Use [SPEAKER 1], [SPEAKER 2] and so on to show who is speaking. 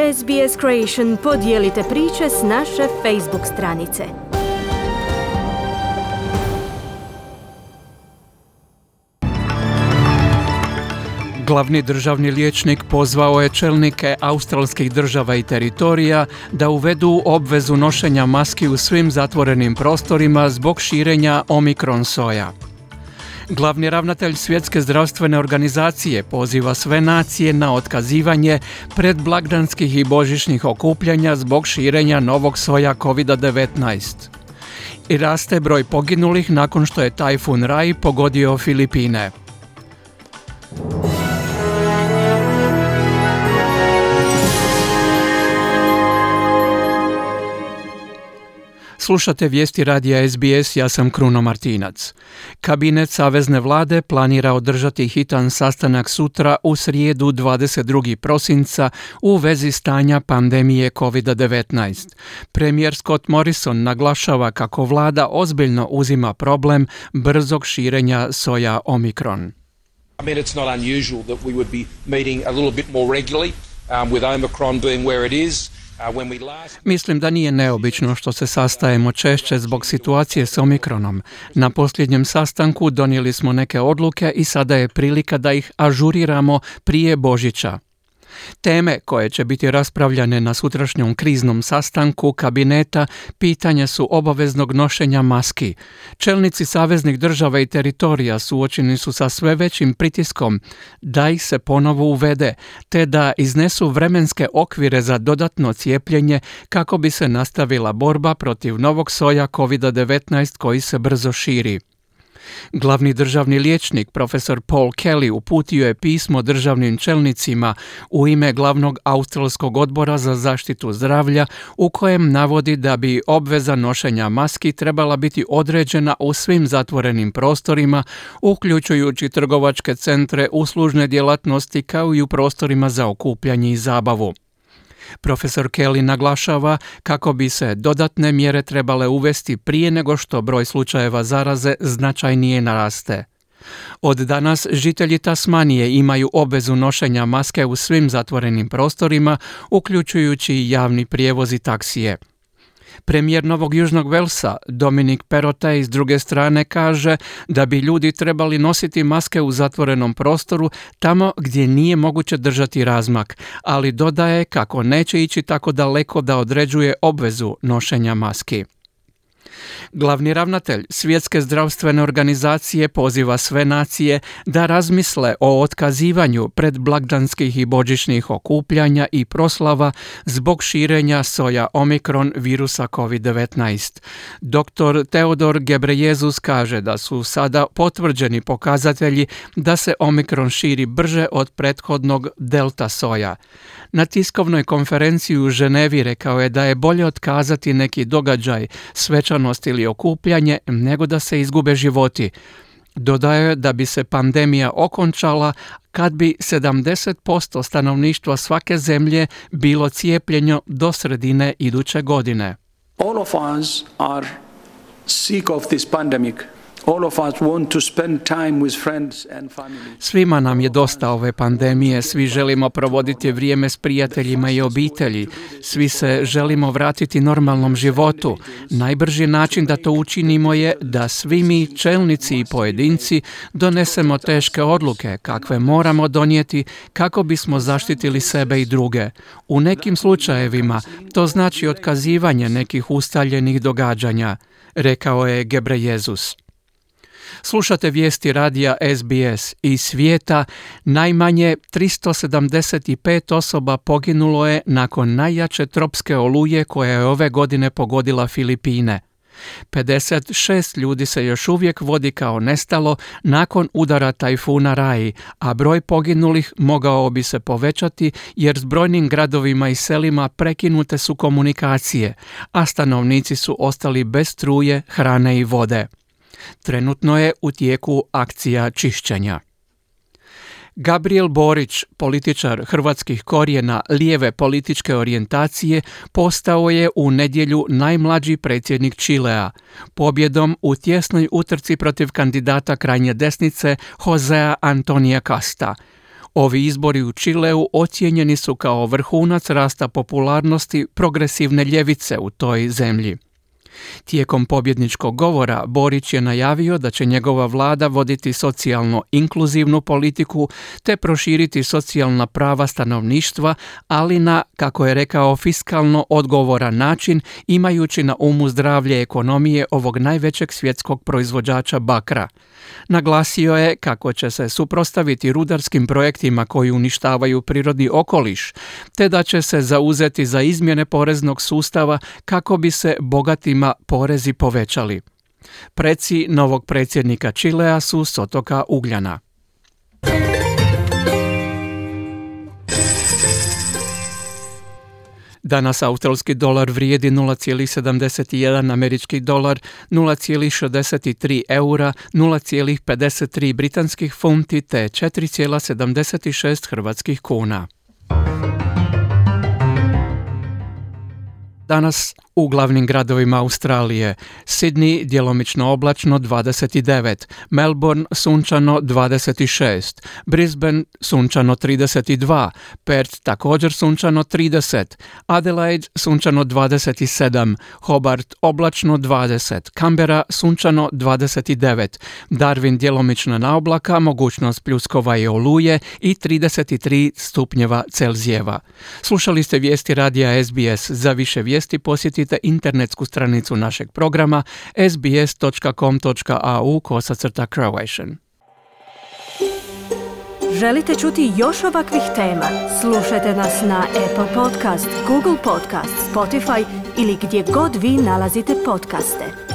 [SPEAKER 1] SBS Creation podijelite priče s naše Facebook stranice.
[SPEAKER 2] Glavni državni liječnik pozvao je čelnike australskih država i teritorija da uvedu obvezu nošenja maski u svim zatvorenim prostorima zbog širenja Omikron soja. Glavni ravnatelj Svjetske zdravstvene organizacije poziva sve nacije na otkazivanje predblagdanskih i božićnih okupljanja zbog širenja novog soja COVID-19. I raste broj poginulih nakon što je tajfun Rai pogodio Filipine. Slušate vijesti radija SBS, ja sam Kruno Martinac. Kabinet Savezne vlade planira održati hitan sastanak sutra u srijedu 22. prosinca u vezi stanja pandemije COVID-19. Premijer Scott Morrison naglašava kako vlada ozbiljno uzima problem brzog širenja soja Omikron.
[SPEAKER 3] I mean, it's not unusual that we would be meeting a little bit more regularly with Omicron being where it is.
[SPEAKER 2] Mislim da nije neobično što se sastajemo češće zbog situacije s Omikronom. Na posljednjem sastanku donijeli smo neke odluke i sada je prilika da ih ažuriramo prije Božića. Teme koje će biti raspravljane na sutrašnjom kriznom sastanku kabineta pitanja su obaveznog nošenja maski. Čelnici saveznih država i teritorija suočeni su sa sve većim pritiskom da ih se ponovo uvede, te da iznesu vremenske okvire za dodatno cijepljenje kako bi se nastavila borba protiv novog soja COVID-19 koji se brzo širi. Glavni državni liječnik, profesor Paul Kelly, uputio je pismo državnim čelnicima u ime glavnog australskog odbora za zaštitu zdravlja u kojem navodi da bi obveza nošenja maski trebala biti određena u svim zatvorenim prostorima, uključujući trgovačke centre, uslužne djelatnosti kao i u prostorima za okupljanje i zabavu. Profesor Kelly naglašava kako bi se dodatne mjere trebale uvesti prije nego što broj slučajeva zaraze značajnije naraste. Od danas žitelji Tasmanije imaju obvezu nošenja maske u svim zatvorenim prostorima, uključujući i javni prijevoz i taksije. Premijer Novog Južnog Velsa, Dominic Perrottet, s druge strane kaže da bi ljudi trebali nositi maske u zatvorenom prostoru tamo gdje nije moguće držati razmak, ali dodaje kako neće ići tako daleko da određuje obvezu nošenja maski. Glavni ravnatelj Svjetske zdravstvene organizacije poziva sve nacije da razmisle o otkazivanju predblagdanskih i božićnih okupljanja i proslava zbog širenja soja Omikron virusa COVID-19. Dr. Teodor Gebreyesus kaže da su sada potvrđeni pokazatelji da se Omikron širi brže od prethodnog delta soja. Na tiskovnoj konferenciji u Ženevi rekao je da je bolje otkazati neki događaj, svečanost ili okupljanje nego da se izgube životi. Dodao je da bi se pandemija okončala kad bi 70% stanovništva svake zemlje bilo cijepljeno do sredine iduće godine.
[SPEAKER 4] All of us are sick of this pandemic. All of us want to spend time with friends and family.
[SPEAKER 2] Svima nam je dosta ove pandemije, svi želimo provoditi vrijeme s prijateljima i obitelji, svi se želimo vratiti normalnom životu. Najbrži način da to učinimo je da svi mi, čelnici i pojedinci, donesemo teške odluke kakve moramo donijeti kako bismo zaštitili sebe i druge. U nekim slučajevima to znači otkazivanje nekih ustaljenih događanja, rekao je Gebreyesus. Slušate vijesti radija SBS. Iz svijeta najmanje 375 osoba poginulo je nakon najjače tropske oluje koja je ove godine pogodila Filipine. 56 ljudi se još uvijek vodi kao nestalo nakon udara tajfuna Rai, a broj poginulih mogao bi se povećati jer s brojnim gradovima i selima prekinute su komunikacije, a stanovnici su ostali bez struje, hrane i vode. Trenutno je u tijeku akcija čišćenja. Gabriel Borić, političar hrvatskih korijena lijeve političke orijentacije, postao je u nedjelju najmlađi predsjednik Čilea, pobjedom u tjesnoj utrci protiv kandidata krajnje desnice Josea Antonija Casta. Ovi izbori u Čileu ocijenjeni su kao vrhunac rasta popularnosti progresivne ljevice u toj zemlji. Tijekom pobjedničkog govora Borić je najavio da će njegova vlada voditi socijalno inkluzivnu politiku te proširiti socijalna prava stanovništva, ali na, kako je rekao, fiskalno odgovoran način, imajući na umu zdravlje ekonomije ovog najvećeg svjetskog proizvođača bakra. Naglasio je kako će se suprotstaviti rudarskim projektima koji uništavaju prirodni okoliš, te da će se zauzeti za izmjene poreznog sustava kako bi se bogatima porezi povećali. Preci novog predsjednika Čilea su s otoka Ugljana. Danas australski dolar vrijedi 0,71 američki dolar, 0,63 eura, 0,53 britanskih funti te 4,76 hrvatskih kuna. Danas u glavnim gradovima Australije: Sydney djelomično oblačno 29, Melbourne sunčano 26, Brisbane sunčano 32, Perth također sunčano 30, Adelaide sunčano 27, Hobart oblačno 20, Canberra sunčano 29, Darwin djelomično na oblaka, mogućnost pljuskova i oluje i 33 stupnjeva Celzijeva. Slušali ste vijesti radija SBS. Za više vijesti posjetite internetsku stranicu našeg programa sbs.com.au/Croatian.
[SPEAKER 1] Želite čuti još ovakvih tema? Slušajte nas na Apple Podcast, Google Podcast, Spotify ili gdje god vi nalazite podcaste.